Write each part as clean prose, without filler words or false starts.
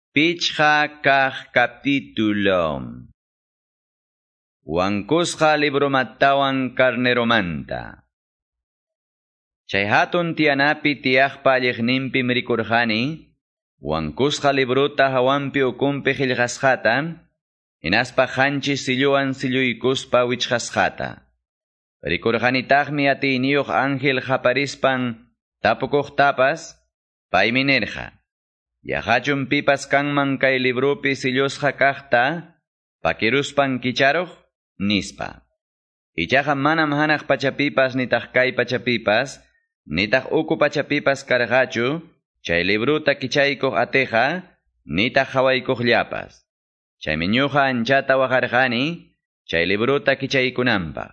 Pichqa kaq capítulo. Wankusqa libromantawan carneromanta. Chay hatun tiyanapi tiyaqpa alliqninpim rikurqani, wankusqa librota hawanpi ukunpi qillqasqata, hinaspa qanchis silluwan silluykuspa wichqasqata. Rikurqanitaqmi atiyniyuq ángel qaparispan tapukuqtapas, paymi nirqa: Yaqachum pipas kanman kay libropi sillusqa kaqta, pakiruspan kicharuq, nispa. Ichaqa manam hanaq pachapipas nitaq kay pachapipas, nitaq uku pachapipas karqachu, chay libruta kichaykuq atiqa, nitaq qhawaykuqllapas. Chaymi ñuqa anchata waqarqani, chay libruta kichaykunanpaq,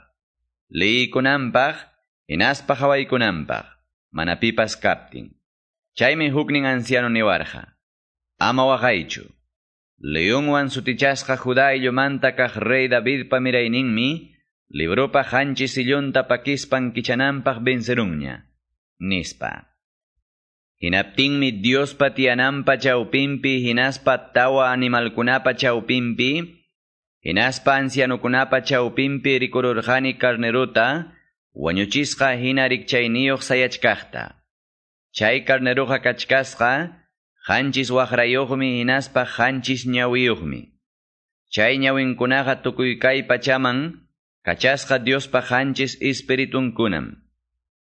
liykunanpaq, hinaspa qhawaykunanpaq, mana pipas kaptin. Chaymi huknin anciano niwarqa: Ama waqaychu. Leonwan sutichasqa Judá ayllumanta kaq rey Davidpa mirayninmi, libropa qanchis sillunta pakispan kichananpaq vencerunña, nispa. Hinaptinmi Diospa tiyananpa chawpinpi hinaspa tawa animalkunapa chawpinpi, hinaspa ancianukunapa chawpinpi rikururqani carnerota, wañuchisqa hina rikchayniyuq sayachkaqta. Chay carneruqa kachkasqa, qanchis waqrayuqmi hinaspa qanchis ñawiyuqmi. Chay ñawinkunaqa tukuy kay pachaman, kachasqa Diospa qanchis espiritunkunam.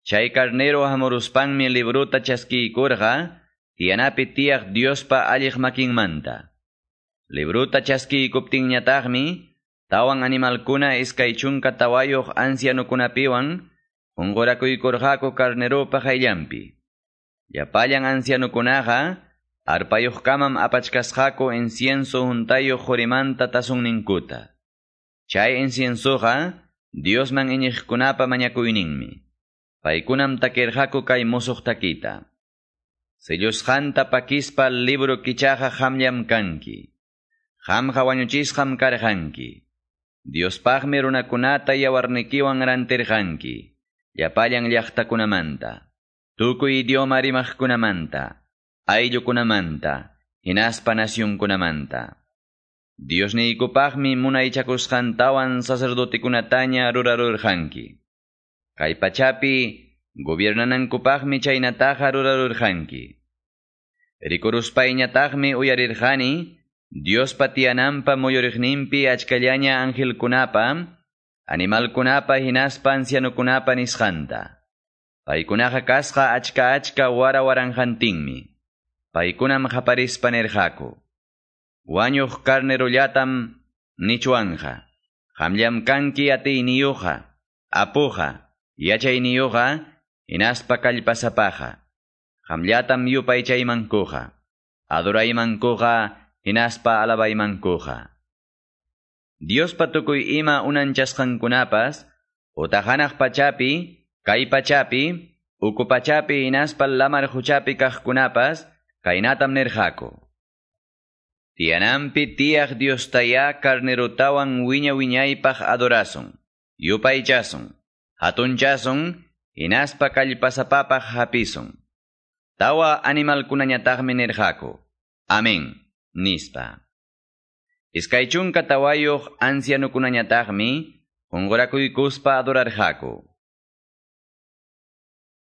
Chay carnero hamuruspanmi libruta chaskiykurqa, tiyanapi tiyaq Diospa alliq makinmanta. Libruta chaskiykuptinñataqmi, tawan animalkuna 24 ancianukunapiwan, qunqurakuykurqaku carneropa qayllanpi. Llapallan ancianukunaqa, arpayuqkamam apachkasqaku incienso huntayuq qurimanta tasunninkuta. Chay inciensoqa Diosman iñiqkunapa mañakuyninmi. Paykunam takirqaku kay musuq takita: Sellusqanta pakispa libro kichaqa qamllam kanki. Qamqa wañuchisqam karqanki. Diospaqmi runakunata yawarnikiwan rantirqanki, llapallan llaqtakunamanta, tukuy idioma rimaqkunamanta, ayllukunamanta, hinaspa nacionkunamanta. Diosniykupaqmi munaychakusqantawan sacerdotekunataña rurarurqanki. Kay pachapi gobiernanankupaqmi chaynataqa rurarurqanki. Rikuruspayñataqmi uyarirqani Diospa tiyananpa muyuriqninpi achkallaña angelkunapa, animalkunapa hinaspa ancianukunapa nisqanta. Paykunaqa kasqa achka achka wara waranqantinmi. Paykunam qaparispa nirqaku: Wañuq carnerollatam nichwanqa. Qamllam kanki atiyniyuqa, apuqa, yachayniyuqa, hinaspa kallpasapaqa. Qamllatam yupaychaymankuqa, adoraymankuqa, hinaspa alabaymankuqa. Diospa tukuy ima unanchasqankunapas, utaq hanaq pachapi, kay pachapi, uku pachapi hinaspa lamar quchapi kaqkunapas, kaynatam nirqaku: Tiyananpi tiyaq Diostayá carnerotawan wiña wiñaypaq adorasun, yupaychasun, hatunchasun, hinaspa kallpasapapaq hapisun. Tawa animalkunañataqmi nirqaku: Amén, nispa. 24 ancianukunañataqmi qunqurakuykuspa adorarqaku.